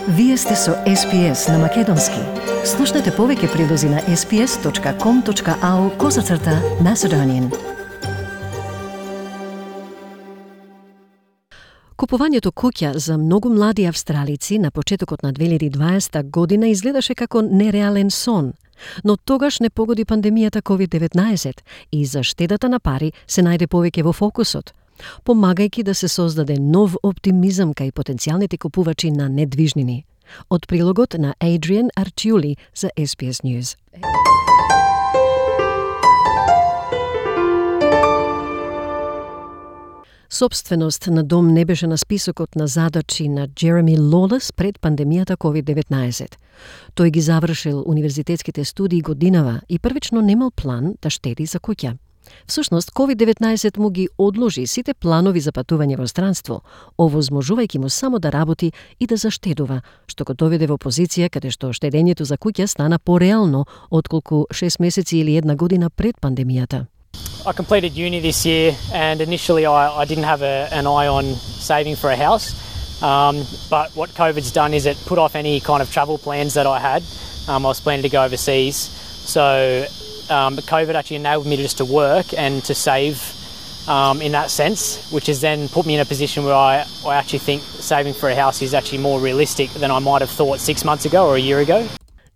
Вие сте со SPS на Македонски. Слушнете повеќе прилози на sps.com.au/Macedonian. Купувањето куќа за многу млади австралици на почетокот на 2020 година изгледаше како нереален сон. Но тогаш не погоди пандемијата COVID-19 и за штедата на пари се најде повеќе во фокусот, помагајќи да се создаде нов оптимизам кај потенцијалните купувачи на недвижнини. Од прилогот на Adrian Arciuli за SBS News. Собственост на дом не беше на списокот на задачи на Джереми Лолес пред пандемијата COVID-19. Тој ги завршил универзитетските студии годинава и првично немал план да штеди за куќа. Всушност, COVID-19 му ги одложи сите планови за патување во странство, овозможувајќи му само да работи и да заштедува, што го доведе во позиција каде што штедењето за куќа стана пореално отколку 6 месеци или 1 година пред пандемијата. I completed uni this year, and initially I didn't have an eye on saving for a house. But what COVID's done is it put off any kind of travel plans that I had. I was planning to go overseas. So COVID actually enabled me just to work and to save in that sense, which has then put me in a position where I actually think saving for a house is actually more realistic than I might have thought 6 months ago or a year ago.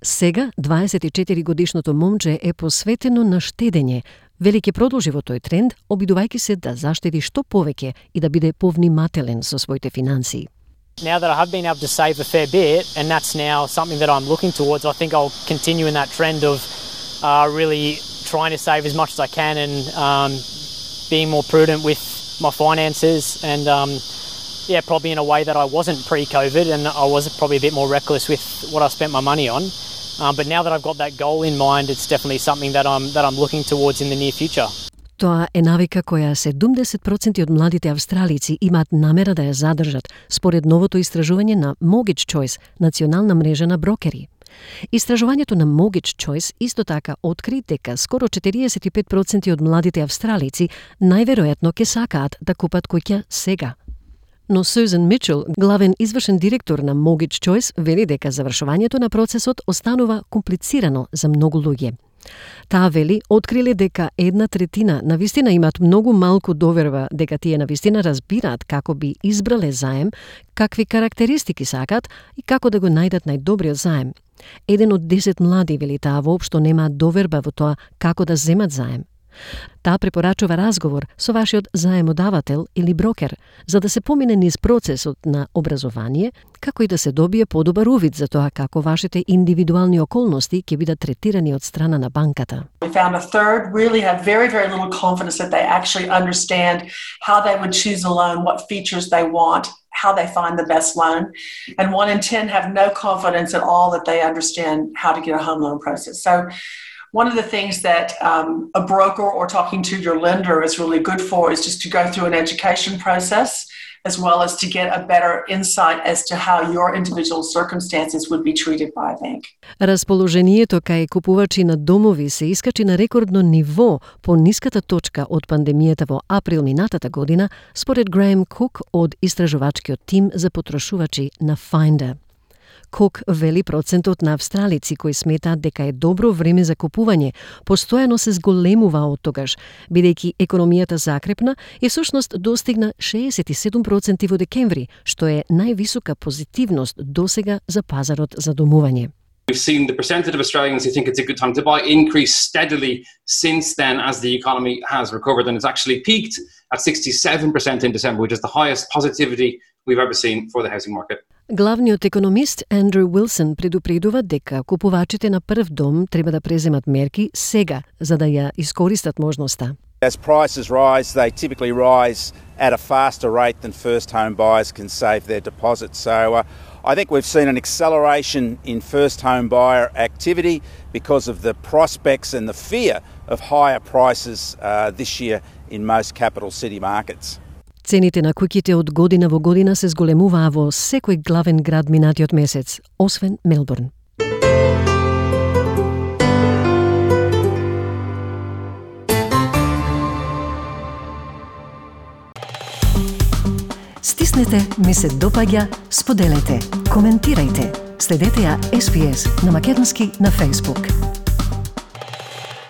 Сега, 24-годишното момче е посветено на штедење. Вели ќе продолжи во тој тренд, обидувајќи се да заштеди што повеќе и да биде повнимателен со своите финансии. Now that I have been able to save a fair bit, and that's now something that I'm looking towards, I think I'll continue in that trend of really trying to save as much as I can and being more prudent with my finances and probably in a way that I wasn't pre-COVID, and I was probably a bit more reckless with what I spent my money on. But now that I've got that goal in mind, it's definitely something that I'm looking towards in the near future. Тоа е навика која 70% од младите австралици имаат намера да ја задржат, според новото истражување на Mortgage Choice, национална мрежа на брокери. Истражувањето на Mortgage Choice исто така откри дека скоро 45% од младите австралици најверојатно ќе сакаат да купат куќа сега. Но Сюзан Мичел, главен извршен директор на Mortgage Choice, вели дека завршувањето на процесот останува комплицирано за многу луѓе. Таа вели, откриле дека 1/3 навистина имаат многу малку доверба дека тие навистина разбираат како би избрале заем, какви карактеристики сакаат и како да го најдат најдобриот заем. 1 од 10 млади, вели таа, воопшто немаат доверба во тоа како да земат заем. Таа препорачува разговор со вашиот заемодавател или брокер, за да се помине низ процесот на образование, како и да се добие подобар увид за тоа како вашите индивидуални околности ќе бидат третирани од страна на банката. We found a third really have very, very little confidence that they actually understand how they would choose a loan, what features they want, how they find the best loan. And 1 in 10 have no confidence at all that they understand how to get a home loan process. So one of the things that a broker or talking to your lender is really good for is just to go through an education process as well as to get a better insight as to how your individual circumstances would be treated by a bank. Расположението кај купувачи на домови се искачи на рекордно ниво по ниската точка од пандемијата во април минатата година, според Греем Кук од истражувачкиот тим за потрошувачи на Finder. Кук вели процентот на австралици кои сметаат дека е добро време за купување постојано се зголемува од тогаш, бидејќи економијата закрепна и всушност достигна 67% во декември, што е највисока позитивност досега за пазарот за домување. We've seen the percentage of Australians who think it's a good time to buy increase steadily since then as the economy has recovered, and it's actually peaked at 67% in December, which is the highest positivity we've ever seen for the housing market. Главниот економист Андрю Уилсон предупредува дека купувачите на прв дом треба да преземат мерки сега за да ја искористат можноста. As prices rise, they typically rise at a faster rate than first home buyers can save their deposit. So I think we've seen an acceleration in first home buyer activity because of the prospects and the fear of higher prices this year in most capital city markets. Цените на куќите од година во година се зголемуваа во секој главен град минатиот месец, освен Мелбурн. натиснете ми се допаѓа, споделете, коментирајте. Следете ја SPS на македонски на Facebook.